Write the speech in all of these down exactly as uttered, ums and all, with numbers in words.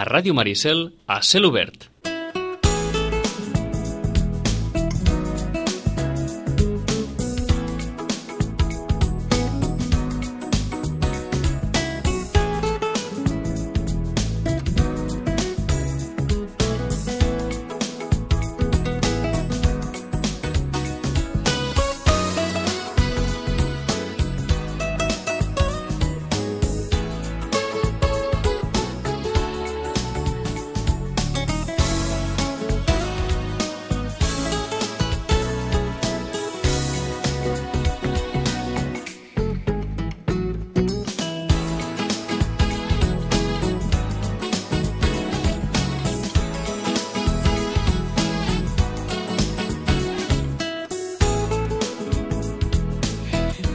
a Ràdio Maricel, a Cel Obert.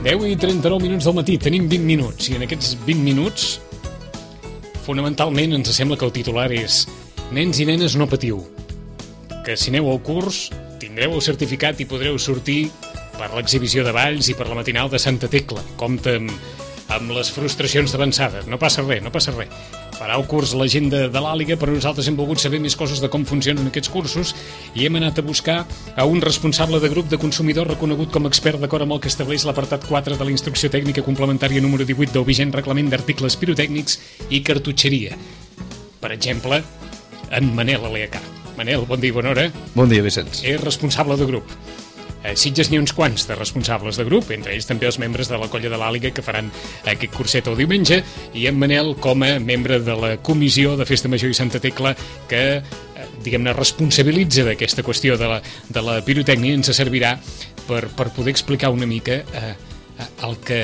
deu i trenta-nou minuts del matí, tenim vint minuts, i en aquests vint minuts, fonamentalment, ens sembla que el titular és nens i nenes no patiu, que si aneu al curs tindreu el certificat i podreu sortir per l'exhibició de balls i per la matinal de Santa Tecla. Compte amb, amb les frustracions d'avançada, no passa res, no passa res. Farà el curs la gent de, de l'Àliga, però nosaltres hem volgut saber més coses de com funcionen aquests cursos i hem anat a buscar a un responsable de grup de consumidor reconegut com a expert d'acord amb el que estableix l'apartat quatre de la Instrucció Tècnica Complementària número divuit del vigent Reglament d'Articles Pirotècnics i Cartutxeria. Per exemple, en Manel Aleacà. Manel, bon dia i bona hora. Bon dia, Vicenç. És responsable de grup. A Sitges n'hi ha uns quants de responsables de grup, entre ells també els membres de la colla de l'Àliga que faran aquest curset el diumenge, i en Manel com a membre de la comissió de Festa Major i Santa Tecla que, diguem-ne, responsabilitza d'aquesta qüestió de la, de la pirotècnia. Ens servirà per, per poder explicar una mica eh, el que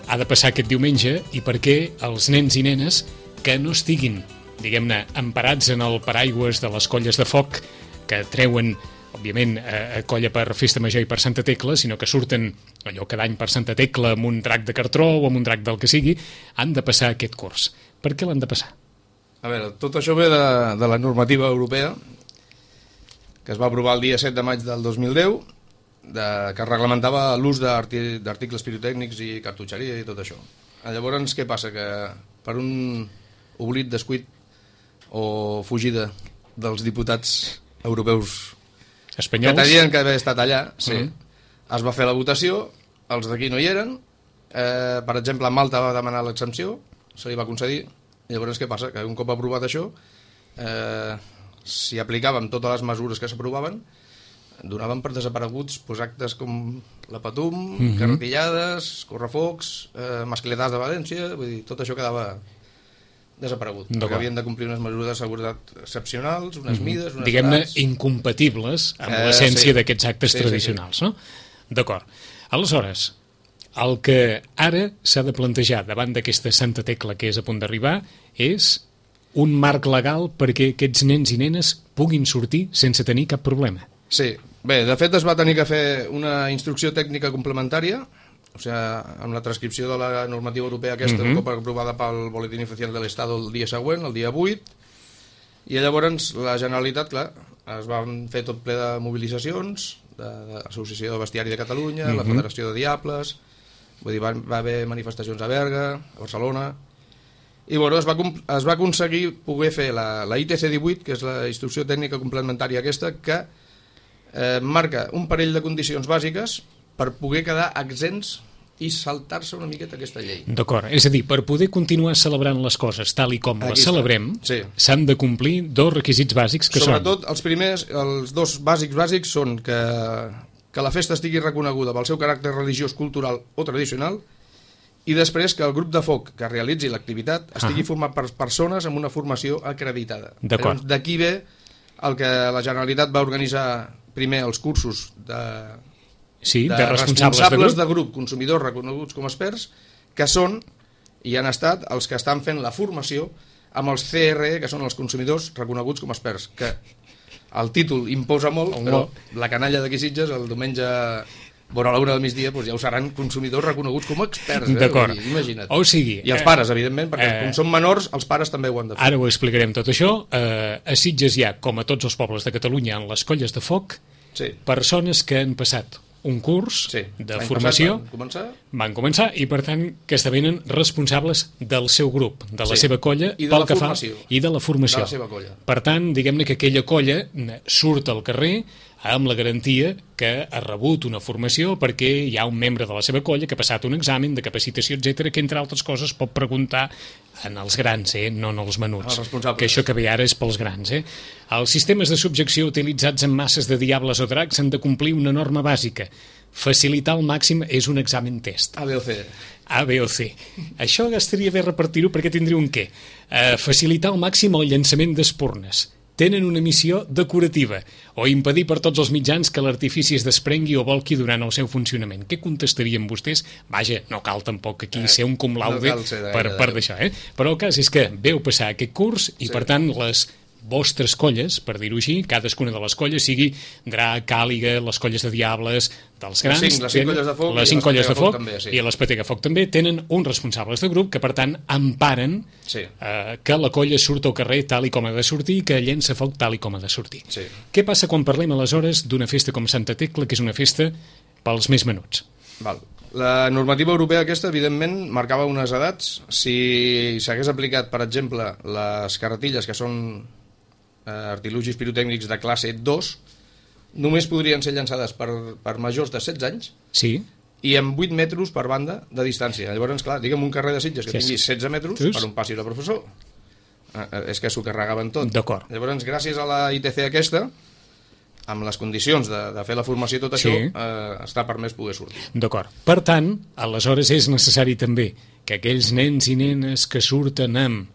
ha de passar aquest diumenge i per què els nens i nenes que no estiguin, diguem-ne, emparats en el paraigües de les colles de foc que treuen, òbviament, a colla per Festa Major i per Santa Tecla, sinó que surten allò cada any per Santa Tecla amb un drac de cartró o amb un drac del que sigui, han de passar aquest curs. Per què l'han de passar? A veure, tot això ve de, de la normativa europea que es va aprovar el dia set de maig del dos mil deu, de, que reglamentava l'ús d'articles pirotècnics i cartutxeria i tot això. Llavors, què passa? Que per un oblit, descuit o fugida dels diputats europeus espanyols, que tenien que haver estat allà, sí, mm. es va fer la votació, els d'aquí no hi eren, eh, per exemple, Malta va demanar l'exempció, se li va concedir, i llavors què passa? Que un cop aprovat això, eh, si aplicàvem totes les mesures que s'aprovaven, donaven per desapareguts pues, actes com la Patum, mm-hmm. carretillades, correfocs, eh, mascletades de València, vull dir, tot això quedava desaparegut, perquè havien de complir unes mesures de seguretat excepcionals, unes mm-hmm. mides, unes diguem-ne, edats incompatibles amb eh, l'essència sí. d'aquests actes sí, tradicionals, sí, sí. no? D'acord. Aleshores, el que ara s'ha de plantejar davant d'aquesta Santa Tecla que és a punt d'arribar és un marc legal perquè aquests nens i nenes puguin sortir sense tenir cap problema. Sí, bé, de fet es va tenir que fer una instrucció tècnica complementària, o sigui, amb la transcripció de la normativa europea aquesta, mm-hmm. un cop aprovada pel Boletín Oficial de l'Estado el dia següent, el dia vuit, i llavors la Generalitat, clar, es van fer tot ple de mobilitzacions, de, de l'Associació de Bestiari de Catalunya, mm-hmm. la Federació de Diables, vull dir, va, va haver manifestacions a Berga, a Barcelona, i bueno, es va, es va aconseguir poder fer la, la I T C divuit, que és la instrucció tècnica complementària aquesta, que eh, marca un parell de condicions bàsiques per poder quedar exempts i saltar-se una miqueta aquesta llei. D'acord, és a dir, per poder continuar celebrant les coses tal i com Aquí les celebrem, sí. s'han de complir dos requisits bàsics que Sobretot, són... els primers, els dos bàsics bàsics són que, que la festa estigui reconeguda pel seu caràcter religiós, cultural o tradicional, i després que el grup de foc que realitzi l'activitat estigui ah. format per persones amb una formació acreditada. D'acord. D'aquí ve el que la Generalitat va organitzar primer els cursos de... Sí, de, de responsables, responsables de, de grup, consumidors reconeguts com experts, que són i han estat els que estan fent la formació amb els C R E, que són els consumidors reconeguts com experts, que el títol imposa molt, però la canalla d'aquí Sitges el diumenge vora l'una del migdia doncs ja ho seran consumidors reconeguts com experts, eh? D'acord. Imagina't. O sigui, i els pares, evidentment, perquè eh, com són menors, els pares també ho han de fer. Ara ho explicarem tot això. Eh, a Sitges hi ha, com a tots els pobles de Catalunya, en les colles de foc, sí. persones que han passat un curs sí. de L'any formació. Van començar. Van començar i, per tant, que esdevenen responsables del seu grup, de la sí. seva colla, I de pel la que formació. fa i de la formació. De la seva colla. Per tant, diguem-ne que aquella colla surt al carrer amb la garantia que ha rebut una formació perquè hi ha un membre de la seva colla que ha passat un examen de capacitació, etcètera, que, entre altres coses, pot preguntar en els grans, eh? No en els menuts. Els responsables. Que això que ve ara és pels grans. Eh? Els sistemes de subjecció utilitzats en masses de diables o dracs han de complir una norma bàsica. Facilitar al màxim és un examen test. A, B o C. A, B o C. Això estaria bé repartir-ho perquè tindria un què. Uh, facilitar al màxim el llançament d'espurnes. Tenen una missió decorativa o impedir per tots els mitjans que l'artifici es desprengui o volqui durant el seu funcionament. Què contestarien vostès? Vaja, no cal tampoc aquí eh, ser un cum laude no per, per d'això, eh? Però el cas és que veu passar aquest curs i, sí. per tant, les vostres colles, per dir-ho així, cadascuna de les colles, sigui Drac, Càliga, les colles de Diables, dels grans... Les cinc, les cinc tenen, colles de foc, les cinc colles de foc, també, sí. i les Patega Foc també, tenen uns responsables de grup que, per tant, emparen sí. eh, que la colla surt al carrer tal i com ha de sortir i que llença foc tal i com ha de sortir. Sí. Què passa quan parlem, aleshores, d'una festa com Santa Tecla, que és una festa pels més menuts? Val. La normativa europea aquesta, evidentment, marcava unes edats. Si s'hagués aplicat, per exemple, les carretilles, que són artilugis pirotècnics de classe dos, només podrien ser llançades per, per majors de setze anys sí. i amb vuit metres per banda de distància. Llavors, clar, diguem un carrer de Sitges que sí, tingui setze metres Just. per on passi el professor. Eh, és que s'ho carregaven tot. D'acord. Llavors, gràcies a la I T C aquesta, amb les condicions de, de fer la formació i tot sí. això, eh, està permès poder sortir. D'acord. Per tant, aleshores és necessari també que aquells nens i nenes que surten amb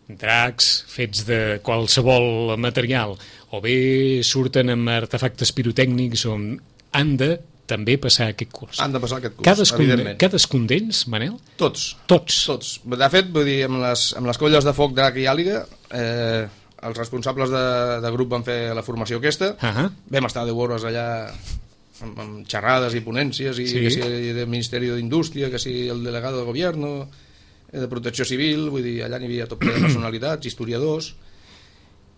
dracs fets de qualsevol material o bé surten amb artefactes pirotècnics on han de també passar aquest curs. Han de passar aquest curs, cadascun, evidentment. Cadascun d'ells, Manel? Tots. Tots. Tots. De fet, vull dir, amb les, amb les colles de foc Drac i Àliga, eh, els responsables de, de grup van fer la formació aquesta, uh -huh. vam estar deu hores allà amb, amb xerrades i ponències, i sí. que si del Ministeri d'Indústria, que si el delegado del Gobierno, de Protecció Civil, vull dir, allà n'hi havia tot de personalitats, historiadors,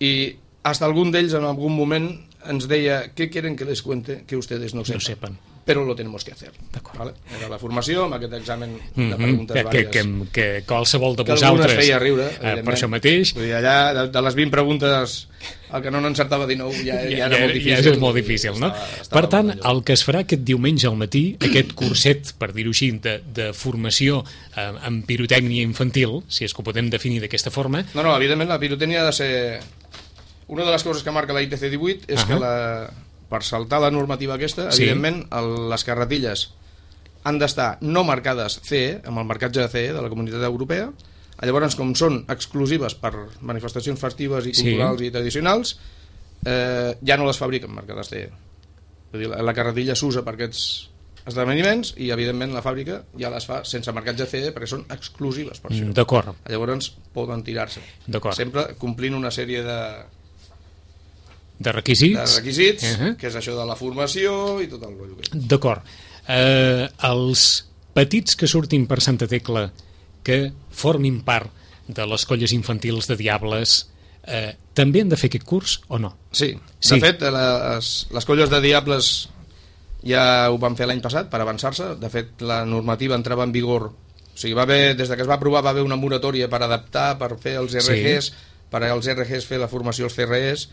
i hasta algun d'ells en algun moment ens deia, ¿qué quieren que les cuente que ustedes no sepan? No sepan. Pero lo tenemos que hacer. ¿Vale? Era la formació, amb aquest examen de mm -hmm. preguntes que, vàries. Que, que, que qualsevol de que vosaltres... Que feia riure, eh, per això mateix. Vull dir, allà, de, de les vint preguntes, el que no n'encertava dinou ja, ja, ja era ja, molt difícil. Ja és molt difícil, no? Estava, estava per tant, el que es farà aquest diumenge al matí, aquest curset, per dir-ho així, de, de formació eh, en pirotècnia infantil, si és que ho podem definir d'aquesta forma... No, no, evidentment la pirotècnia ha de ser... Una de les coses que marca la I T C divuit és uh -huh. que la... per saltar la normativa aquesta, sí. evidentment, el, les carretilles han d'estar no marcades C E, amb el marcatge de C E de la Comunitat Europea. Llavors, com són exclusives per manifestacions festives i culturals sí. i tradicionals, eh, ja no les fabriquen marcades C E. Vull dir, la, la carretilla s'usa per aquests esdeveniments i, evidentment, la fàbrica ja les fa sense marcatge C E perquè són exclusives per això. D'acord. Llavors, poden tirar-se. Sempre complint una sèrie de... de requisits, de requisits uh -huh. que és això de la formació i tot el rotllo. D'acord. Eh, els petits que surtin per Santa Tecla que formin part de les colles infantils de Diables eh, també han de fer aquest curs o no? Sí, de sí. fet les, les colles de Diables ja ho van fer l'any passat per avançar-se. De fet la normativa entrava en vigor, o sigui, va haver, des de que es va aprovar va haver una moratòria per adaptar, per fer els R Gs, sí. per als R Gs fer la formació als C R Es,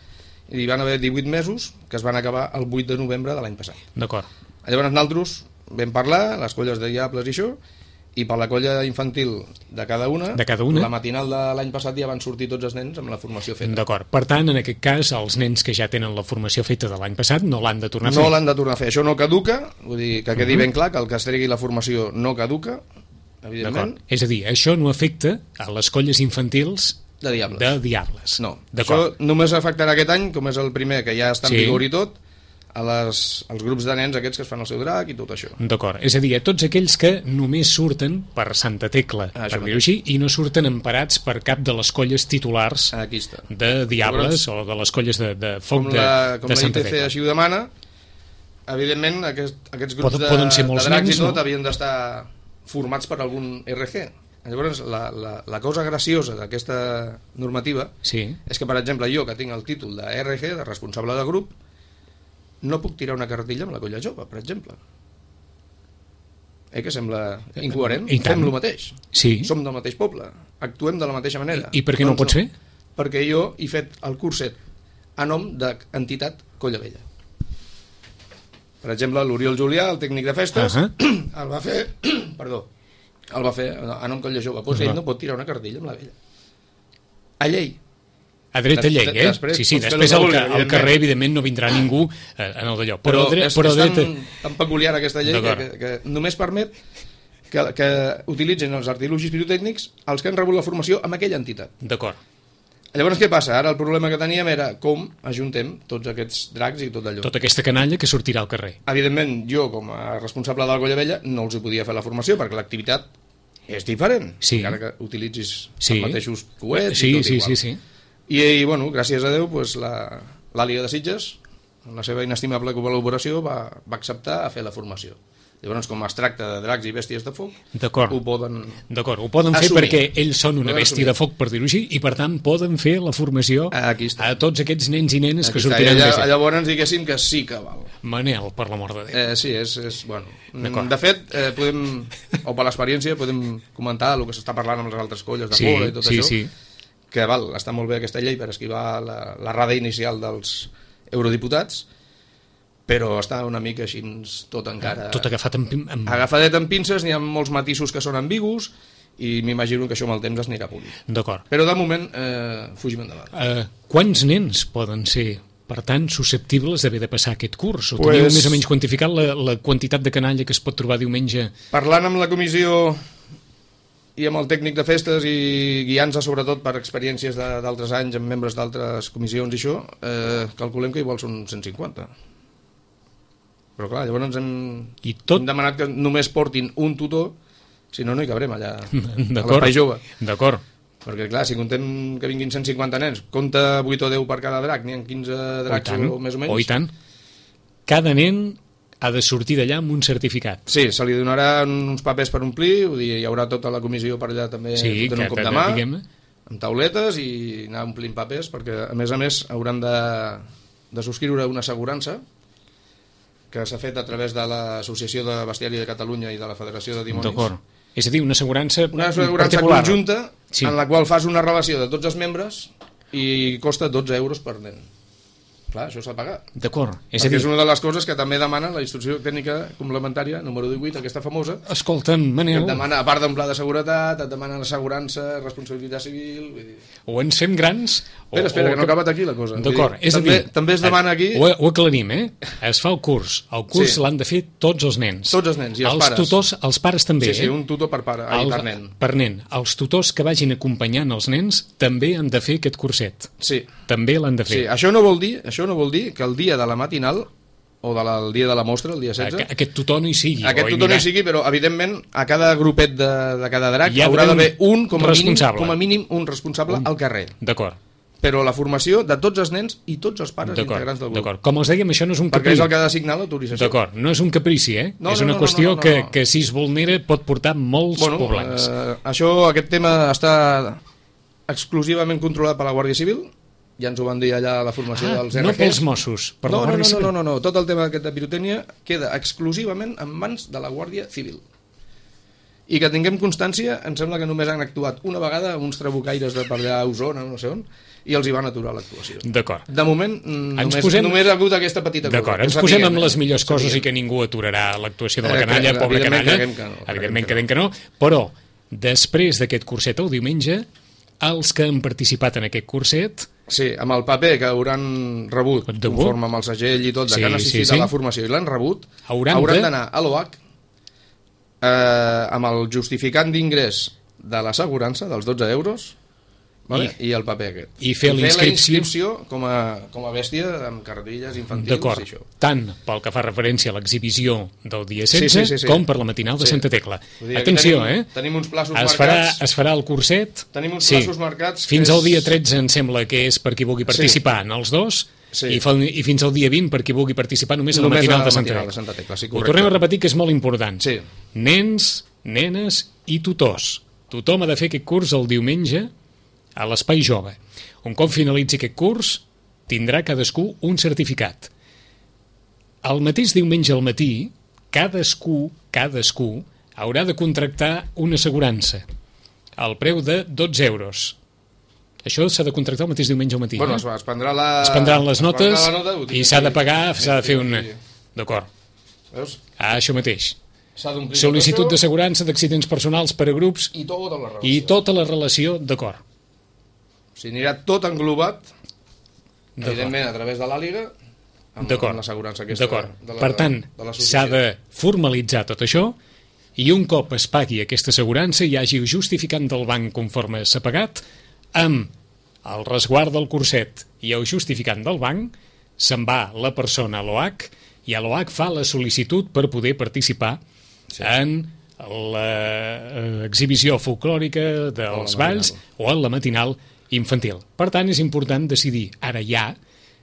i van haver divuit mesos que es van acabar el vuit de novembre de l'any passat. D'acord. Llavors nosaltres vam parlar, les colles de Diables i això, i per la colla infantil de cada una, de cada una. La matinal de l'any passat ja van sortir tots els nens amb la formació feta. D'acord. Per tant, en aquest cas, els nens que ja tenen la formació feta de l'any passat no l'han de tornar a fer. No l'han de tornar a fer. Això no caduca, vull dir que quedi uh -huh. ben clar que el que es tregui la formació no caduca, evidentment. És a dir, això no afecta a les colles infantils de Diables. De Diables. No, això només afectarà aquest any, com és el primer, que ja està en sí. vigor i tot, a les, als grups de nens aquests que es fan el seu drac i tot això. D'acord, és a dir, a tots aquells que només surten per Santa Tecla, ah, per dir-ho així, i no surten emparats per cap de les colles titulars de Diables o de les colles de, de foc com de, la, com de Santa Tecla. Com la I T C així ho demana, evidentment aquest, aquests grups poden, de, poden ser molts de dracs nens, i tot no? havien d'estar formats per algun R G. Llavors, la, la, la cosa graciosa d'aquesta normativa sí. és que, per exemple, jo, que tinc el títol de R G, de responsable de grup, no puc tirar una cartilla amb la colla jove, per exemple. Eh, que sembla incoherent? Fem el mateix. Sí. Som del mateix poble, actuem de la mateixa manera. I, i per què no ho pots fer? Perquè jo he fet el curset a nom d'entitat Colla Vella. Per exemple, l'Oriol Julià, el tècnic de festes, uh -huh. el va fer perdó, el va fer a nom Colla Jove. Pues uh -huh. ell no pot tirar una cartilla amb la vella. A llei. A dret a llei, eh? Després, sí, sí, després al, al carrer, evidentment, no vindrà ningú eh, en el d'allò. Però, però, dret, és, però és dret... tan, tan peculiar aquesta llei que, que, que només permet que, que utilitzin els artilugis pirotècnics els que han rebut la formació amb aquella entitat. D'acord. Llavors, què passa? Ara el problema que teníem era com ajuntem tots aquests dracs i tot allò. Tota aquesta canalla que sortirà al carrer. Evidentment, jo, com a responsable de la Colla Vella, no els hi podia fer la formació perquè l'activitat és diferent, sí. encara que utilitzis sí. els mateixos coets sí, i tot sí, igual. Sí, sí. I, i bueno, gràcies a Déu, pues, l'Àliga de Sitges, amb la seva inestimable col·laboració, va, va acceptar a fer la formació. Llavors, com es tracta de dracs i bèsties de foc, ho poden D'acord, ho poden fer assumir. perquè ells són una bèstia de foc, per dir-ho així, i per tant poden fer la formació a tots aquests nens i nenes Aquí que sortiran allà, de llavors diguéssim que sí que val. Manel, per l'amor de Déu. Eh, sí, és, és bueno. De fet, eh, podem, o per l'experiència, podem comentar el que s'està parlant amb les altres colles de sí, fora i tot sí, això, sí. que val, està molt bé aquesta llei per esquivar la, la rada inicial dels eurodiputats, però està una mica així tot encara... Tot agafat amb... amb... Agafadet amb pinces, n'hi ha molts matisos que són ambigus i m'imagino que això amb el temps es anirà polint. D'acord. Però de moment eh, fugim endavant. Uh, quants nens poden ser, per tant, susceptibles d'haver de passar aquest curs? O pues... teniu més o menys quantificat la, la quantitat de canalla que es pot trobar diumenge? Parlant amb la comissió i amb el tècnic de festes i guiant-se sobretot per experiències d'altres anys amb membres d'altres comissions i això, eh, calculem que igual són cent cinquanta. Però clar, llavors ens hem, I tot... hem demanat que només portin un tutor, si no, no hi cabrem allà a l'espai jove. D'acord. Perquè clar, si contem que vinguin cent cinquanta nens, compta vuit o deu per cada drac, n'hi ha quinze dracs o, o més o menys. O i tant. Cada nen ha de sortir d'allà amb un certificat. Sí, se li donarà uns papers per omplir, vull dir, hi haurà tota la comissió per allà també sí, fotent un cop de mà, amb tauletes i anar omplint papers, perquè a més a més hauran de, de subscriure una assegurança que s'ha fet a través de l'Associació de Bestiari de Catalunya i de la Federació de Dimonis. D'acord. És a dir, una assegurança Una assegurança particular. conjunta sí. en la qual fas una relació de tots els membres i costa dotze euros per nen. Clar, això s'ha de pagar. D'acord. És, Perquè dir... és una de les coses que també demana la instrucció tècnica complementària número divuit, aquesta famosa. Escolta'm, Manel... Que et demana, a part d'un pla de seguretat, et demana l'assegurança, responsabilitat civil... Vull dir... O ens fem grans... O, espera, espera, o... que no ha acabat aquí la cosa. D'acord, és també, a dir... També es demana aquí... Ho, ho aclarim, eh? Es fa el curs. El curs sí. l'han de fer tots els nens. Tots els nens i els, els pares. Tutors, els pares també, sí, sí, eh? un tutor per pare, ai, el, per nen. Per nen. Els tutors que vagin acompanyant els nens també han de fer aquest curset. Sí. També l'han de fer. Sí, això no vol dir, això no vol dir que el dia de la matinal o de la, el dia de la mostra, el dia setze... Aquest tutor no hi sigui. Aquest tutor no hi sigui, però evidentment a cada grupet de, de cada drac hi ha haurà d'haver un, com a, mínim, com a mínim, un responsable un... al carrer. D'acord. Però la formació de tots els nens i tots els pares integrants del grup. D'acord. Com els dèiem, això no és un caprici. Perquè és el que ha de signar l'autorització. D'acord, no és un caprici, eh? No, és una no, no, qüestió no, no, no, que, no. que si es vulnera pot portar molts bueno, problemes. Eh, això, aquest tema està exclusivament controlat per la Guàrdia Civil. Ja ens ho van dir allà a la formació ah, dels R Gs. No pels Mossos, per no, la Guàrdia no, no, Civil. No, no, no, tot el tema aquest de pirotècnia queda exclusivament en mans de la Guàrdia Civil. I que tinguem constància, em sembla que només han actuat una vegada uns trabucaires de per allà a Osona, no sé on, i els hi van aturar l'actuació. D'acord. De moment, només, posem... només ha hagut aquesta petita cosa. D'acord, ens posem amb les millors coses i que ningú aturarà l'actuació de la canalla, eh, pobra canalla. Que no, evidentment que, que no. Però, després d'aquest curset el diumenge, els que han participat en aquest curset... Sí, amb el paper que hauran rebut, conforme amb el segell i tot, de sí, que han assistit sí, sí. a la formació i l'han rebut, hauran d'anar a l'O H eh, amb el justificant d'ingrés de l'assegurança dels dotze euros, vale? I, I el paper aquest. I fer, I fer la inscripció com a, com a bèstia amb cartilles infantils i això. Tant pel que fa referència a l'exhibició del dia setze sí, sí, sí, sí. com per la matinal de sí. Santa Tecla. Dir, atenció, tenim, eh? Tenim uns plaços es marcats. Farà, es farà el curset. Tenim uns sí. plaços marcats. Fins és... al dia tretze em sembla que és per qui vulgui participar sí. en els dos. Sí. I, fa, I fins al dia vint per qui vulgui participar només a la només matinal, a la de Santa matinal Tecla. de Santa Tecla. Sí, ho tornem a repetir que és molt important. Sí. Nens, nenes i tutors. Tothom ha de fer aquest curs el diumenge a l'Espai Jove. Un cop finalitzi aquest curs, tindrà cadascú un certificat. el mateix diumenge al matí, cadascú, cadascú, haurà de contractar una assegurança al preu de dotze euros. Això s'ha de contractar el mateix diumenge al matí. Bueno, eh? es prendrà la... Es prendran les notes la nota, i s'ha de pagar, s'ha de fer sí, una... sí. D'acord. Veus? Ah, això mateix. S'ha d'omplir Sol·licitud tot això d'assegurança d'accidents personals per a grups i tota la relació. i tota la relació, d'acord. O sigui, anirà tot englobat, D'acord. evidentment, a través de l'Àliga, amb, D'acord. amb l'assegurança aquesta. D'acord. De la, Per tant, de l'associació. s'ha de formalitzar tot això i un cop es pagui aquesta assegurança i hi hagi justificant del banc conforme s'ha pagat, amb el resguard del curset i el justificant del banc, se'n va la persona a l'O H i a l'O H fa la sol·licitud per poder participar sí. en l'exhibició folclòrica dels balls o en la matinal infantil. Per tant, és important decidir ara ja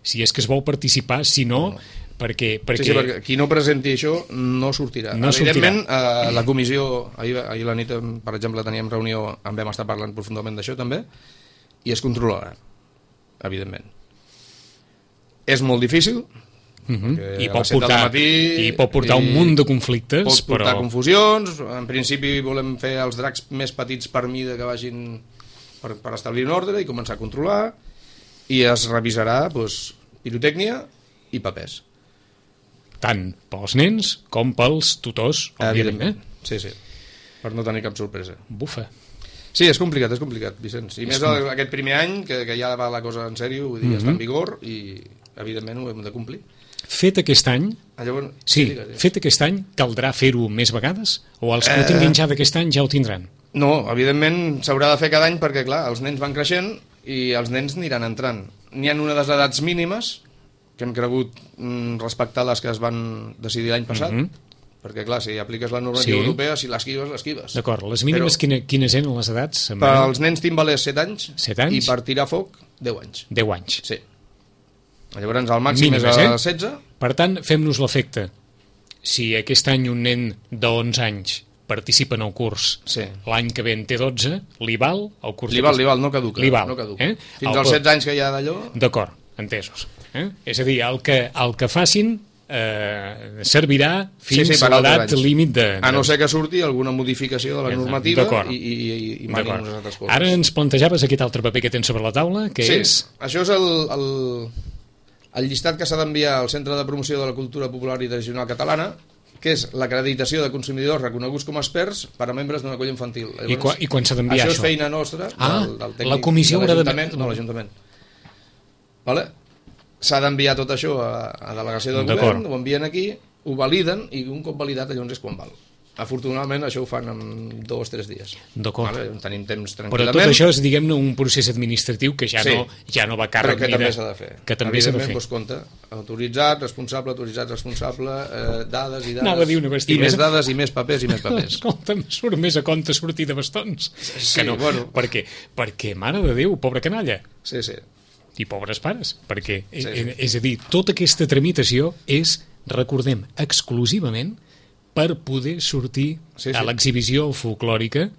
si és que es vol participar, si no, no. perquè... perquè... Sí, sí, perquè qui no presenti això no sortirà. No Evidentment, sortirà. Eh, la comissió, ahir, ahir la nit, per exemple, teníem reunió, en vam estar parlant profundament d'això també, i es controlarà, evidentment. És molt difícil, Uh-huh. I, a pot les set del portar, matí, i pot portar i un munt de conflictes, pot portar però... confusions. En principi volem fer els dracs més petits per mida que vagin per, per establir un ordre i començar a controlar, i es revisarà doncs, pirotècnia i papers. Tant pels nens com pels tutors, òbviament. Eh? Sí, sí, per no tenir cap sorpresa. Bufa. Sí, és complicat, és complicat, Vicenç. I és més com... aquest primer any, que, que ja va la cosa en sèrio, vull dir, mm-hmm. està en vigor i, evidentment, ho hem de complir. Fet aquest any, ah, llavors, sí, sí, digues, fet aquest any, caldrà fer-ho més vegades? O els que eh... ho tinguin ja d'aquest any ja ho tindran? No, evidentment s'haurà de fer cada any perquè, clar, els nens van creixent i els nens aniran entrant. N'hi ha una de les edats mínimes que hem cregut mm, respectar les que es van decidir l'any passat, mm-hmm. perquè, clar, si apliques la normativa sí. europea, si l'esquives, l'esquives. D'acord, les mínimes Però, quina, quines eren les edats? Per als nens timbalers set anys, set anys i per tirar foc deu anys. deu anys. Sí. Llavors el màxim mínimes, és a eh? setze. Per tant, fem-nos l'efecte. Si aquest any un nen d'onze anys participa en el curs, sí. l'any que ve en té dotze, li val el curs? Li val, li val, no caduca. Li val, no caduca. Eh? Fins el... als setze anys que hi ha d'allò... D'acord, entesos. Eh? És a dir, el que, el que facin eh, servirà fins sí, sí, a l'edat límit de, de... A no ser que surti alguna modificació de la normativa i, i, i, i manin unes altres coses. Ara ens plantejaves aquest altre paper que tens sobre la taula, que sí, és... això és el... el... el llistat que s'ha d'enviar al Centre de Promoció de la Cultura Popular i Tradicional Catalana, que és l'acreditació de consumidors reconeguts com a experts per a membres d'una colla infantil. Llavors, I, qua, i quan s'ha d'enviar això? Això és feina nostra, ah, del, del tècnic la comissió de l'Ajuntament. de... No, l'Ajuntament. Vale? S'ha d'enviar tot això a, a delegació del govern, ho envien aquí, ho validen, i un cop validat llavors és quan val. Afortunadament això ho fan en dos o tres dies. D'acord. Vale? Tenim temps tranquil·lament. Però tot això és, diguem-ne, un procés administratiu que ja, sí. no, ja no va càrrec. Però que també s'ha de fer. Que també s'ha de fer. Doncs, compte, autoritzat, responsable, autoritzat, responsable, eh, dades i dades. Anava a dir una I més dades, i més papers, i més papers. Escolta, em surt més a compte sortir de bastons. Sí, que no. bueno. Per què? Perquè, mare de Déu, pobra canalla. Sí, sí. I pobres pares. Perquè, sí, sí. és a dir, tota aquesta tramitació és, recordem, exclusivament per poder sortir sí, sí. a l'exhibició folclòrica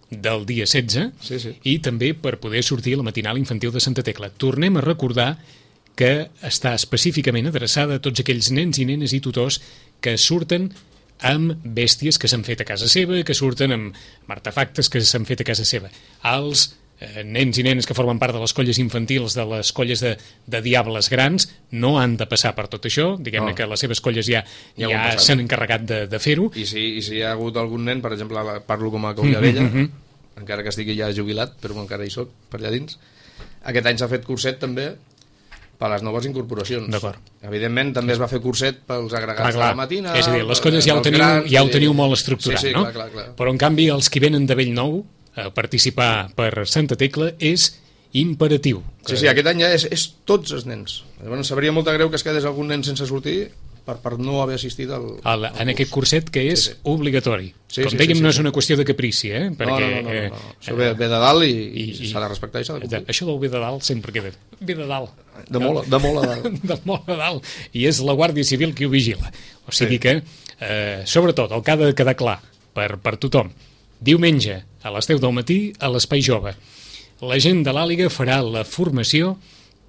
del dia setze sí, sí. i també per poder sortir a la matinal infantil de Santa Tecla. Tornem a recordar que està específicament adreçada a tots aquells nens i nenes i tutors que surten amb bèsties que s'han fet a casa seva, que surten amb artefactes que s'han fet a casa seva. Els eh, nens i nenes que formen part de les colles infantils, de les colles de, de diables grans, no han de passar per tot això, diguem-ne no. que les seves colles ja, ja, ja s'han encarregat de, de fer-ho. I si, I si hi ha hagut algun nen, per exemple, parlo com a colla vella, mm -hmm. encara que estigui ja jubilat, però encara hi soc, per allà dins, aquest any s'ha fet curset també per les noves incorporacions. D'acord. Evidentment, també es va fer curset pels agregats clar, clar. de la matina... És a dir, les colles ja ho teniu, grans, ja ho teniu molt estructurat, sí, sí, no? Clar, clar, clar. Però, en canvi, els que venen de Bellnou a participar per Santa Tecla és imperatiu. Sí, sí, aquest any ja és, és tots els nens. Llavors, sabria molt de greu que es quedés algun nen sense sortir per, per no haver assistit al, al, al en curs. Aquest curset que és sí, sí. obligatori. Sí, Com sí, dèiem, sí, sí, no és sí. una qüestió de caprici, eh? Perquè, no, no, no, no, no. Eh, Això ve, ve de dalt i, i, i s'ha de respectar i s'ha de complir. Això del ve de dalt sempre queda. Ve de dalt. De molt, de molt a dalt. de molt a dalt. I és la Guàrdia Civil qui ho vigila. O sigui sí. que, eh, sobretot, el que ha de quedar clar per, per tothom, diumenge a les deu del matí a l'Espai Jove. La gent de l'Àliga farà la formació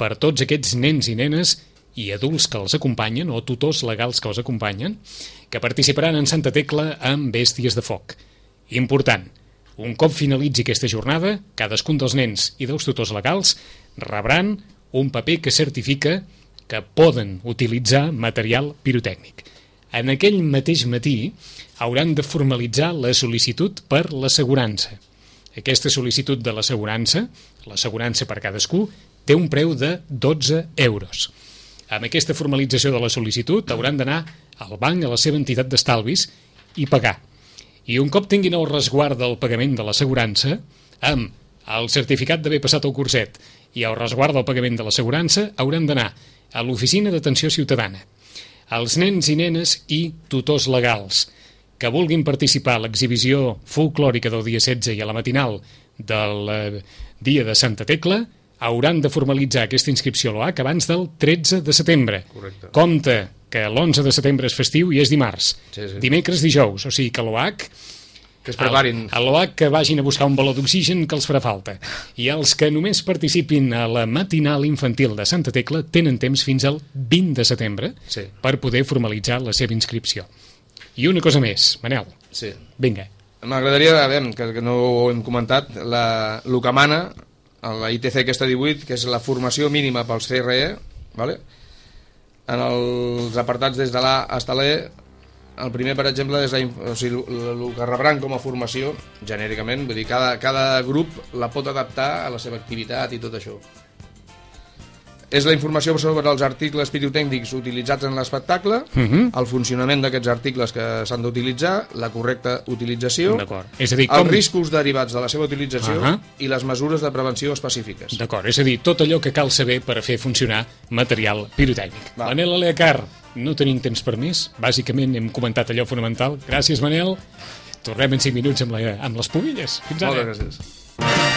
per tots aquests nens i nenes i adults que els acompanyen, o tutors legals que els acompanyen, que participaran en Santa Tecla amb bèsties de foc. Important, un cop finalitzi aquesta jornada, cadascun dels nens i dels tutors legals rebran un paper que certifica que poden utilitzar material pirotècnic. En aquell mateix matí hauran de formalitzar la sol·licitud per l'assegurança. Aquesta sol·licitud de l'assegurança, l'assegurança per cadascú, té un preu de dotze euros. Amb aquesta formalització de la sol·licitud hauran d'anar al banc, a la seva entitat d'estalvis, i pagar. I un cop tinguin el resguard del pagament de l'assegurança, amb el certificat d'haver passat el curset i el resguard del pagament de l'assegurança, hauran d'anar a l'oficina d'atenció ciutadana. Els nens i nenes i tutors legals que vulguin participar a l'exhibició folclòrica del dia setze i a la matinal del eh, dia de Santa Tecla hauran de formalitzar aquesta inscripció a l'O H abans del tretze de setembre. Correcte. Compte que l'onze de setembre és festiu i és dimarts. Sí, sí. Dimecres, dijous, o sigui que l'O H... Que es preparin. A l'O H que vagin a buscar un baló d'oxigen que els farà falta. I els que només participin a la matinal infantil de Santa Tecla tenen temps fins al vint de setembre Sí. per poder formalitzar la seva inscripció. I una cosa més, Manel. Sí. Vinga. M'agradaria, a veure, que, que no ho hem comentat, la, el que mana a la I T C aquesta divuit, que és la formació mínima pels C R E, vale? En els apartats des de l'A fins a l'E, el primer, per exemple, és la, o sigui, el, el que rebran com a formació, genèricament, vull dir, cada, cada grup la pot adaptar a la seva activitat i tot això. És la informació sobre els articles pirotècnics utilitzats en l'espectacle, Uh-huh. el funcionament d'aquests articles que s'han d'utilitzar, la correcta utilització, D'acord. És a dir, els com... riscos derivats de la seva utilització Ahà. i les mesures de prevenció específiques. D'acord, és a dir, tot allò que cal saber per a fer funcionar material pirotècnic. Va. Manel Aleacar, no tenim temps per més. Bàsicament hem comentat allò fonamental. Gràcies, Manel. Tornem en cinc minuts amb, la, amb les pubilles. Fins ara. Moltes gràcies.